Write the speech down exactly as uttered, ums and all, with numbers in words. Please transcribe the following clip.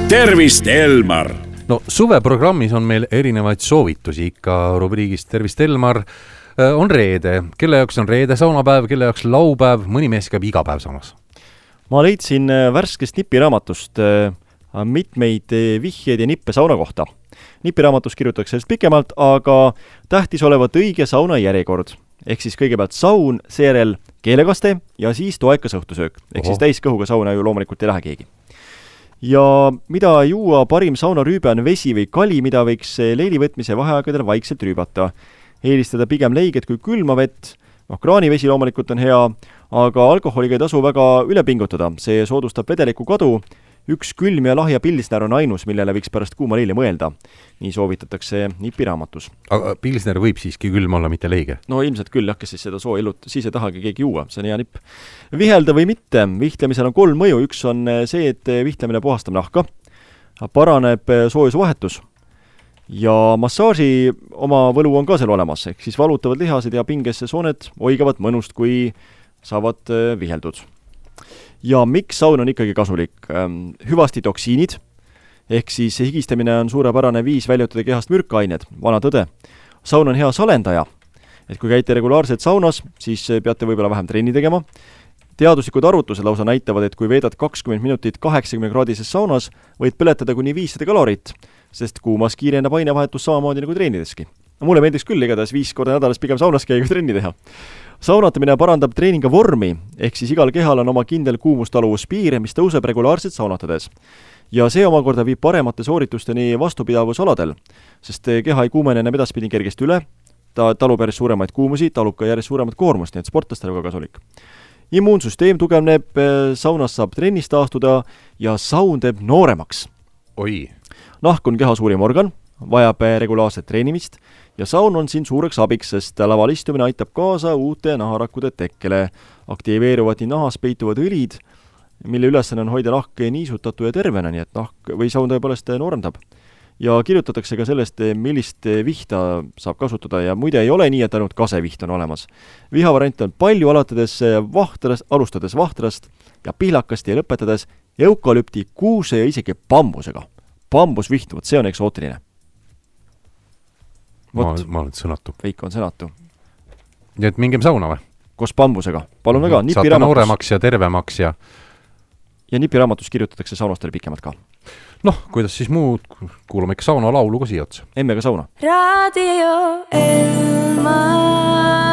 Tervist, Elmar! No suveprogrammis on meil erinevaid soovitusi ikka rubriigist Tervist, Elmar. On reede, kelle jaoks on reede saunapäev, kelle jaoks laupäev, mõni mees käib iga päev samas. Ma leidsin värskest nipiraamatust mitmeid vihjeid ja nippe sauna kohta. Nipiraamatust kirjutatakse sellest pikemalt, aga tähtis olevat õige sauna järjekord. Ehk siis kõigepealt saun, seejärel keelekaste ja siis toekas õhtusöök. Ehk Oho. siis täiskõhuga sauna ju loomulikult ei lähe keegi. Ja mida juua parim saunarüübe on vesi või kali, mida võiks leilivõtmise vaheaegadel vaikselt rüübata. Eelistada pigem leiget kui külma vett. No, kraanivesi loomulikult on hea, aga alkoholiga ei tasu väga üle pingutada. See soodustab vedeliku kadu. Üks külm ja lahja pilsner on ainus, millele võiks pärast kuuma leili mõelda. Nii soovitatakse nipiraamatus. Aga pilsner võib siiski külm olla, mitte leige? No ilmselt küll, jah, kes siis seda soo ellut, siis ei tahagi keegi juua, see on hea nipp. Vihelda või mitte, vihtlemisel on kolm mõju. Üks on see, et vihtlemine puhastab nahka, paraneb soojusvahetus ja massaaži oma võlu on ka seal olemas, ehk siis valutavad lihased ja pingesse sooned oigavad mõnust, kui saavad viheldud. Ja miks saun on ikkagi kasulik? Hüvasti toksiinid, ehk siis higistamine on suurepärane viis väljutada kehast mürkained, vana tõde. Saun on hea salendaja, et kui käite regulaarselt saunas, siis peate võib-olla vähem trenni tegema. Teaduslikud arvutused lausa näitavad, et kui veedad kakskümmend minutit kaheksakümne kraadises saunas, võid põletada kuni viissada kalorit, sest kuumas kiirendab ainevahetus samamoodi nagu treenideski. Mulle meeldiks küll igatahes viis korda nädalas pigem saunas käia kui trenni teha. Saunatamine parandab treeninga vormi, ehk siis igal kehal on oma kindel kuumustaluvuspiir, mis tõuseb regulaarselt saunatades. Ja see omakorda viib paremate sooritusteni vastupidavusaladel, sest keha ei kuumene enam edaspidi kergesti üle, ta talub järjest suuremaid kuumusi, talub ka järjest suuremat koormust, nii et sportlastele ka kasulik. Immuunsüsteem tugevneb, saunas saab trennist taastuda ja saun teeb nooremaks. Oi. Nahk on keha suurim organ, vajab regulaarset treenimist ja saun on siin suureks abiks, sest laval istumine aitab kaasa uute naharakkude tekkele. Aktiveeruvad nii nahas peituvad õlid, mille ülesanne on hoida nahk niisutatu ja tervena, nii et nahk või saun tõepoolest noorendab. Ja kirjutatakse ka sellest, millist vihta saab kasutada ja muide ei ole nii, et ainult kaseviht on olemas. Vihavariant on palju alatades vahtrast, alustades vahtrast ja pihlakast ja lõpetades eukalüpti, kuuse ja isegi bambusega. Bambusviht, vot see on eksootiline. Ma, ma olen sõnatu. Veiko on sõnatu. Nii et mingem sauna või? Koos bambusega. Palun väga. Saate nooremaks ja tervemaks ja... Ja nipiraamatus kirjutatakse saunastele pikemalt ka. Noh, kuidas siis muud, kuulame ikka sauna laulu ka siia otsa. Emme ka sauna. Radio Elmar.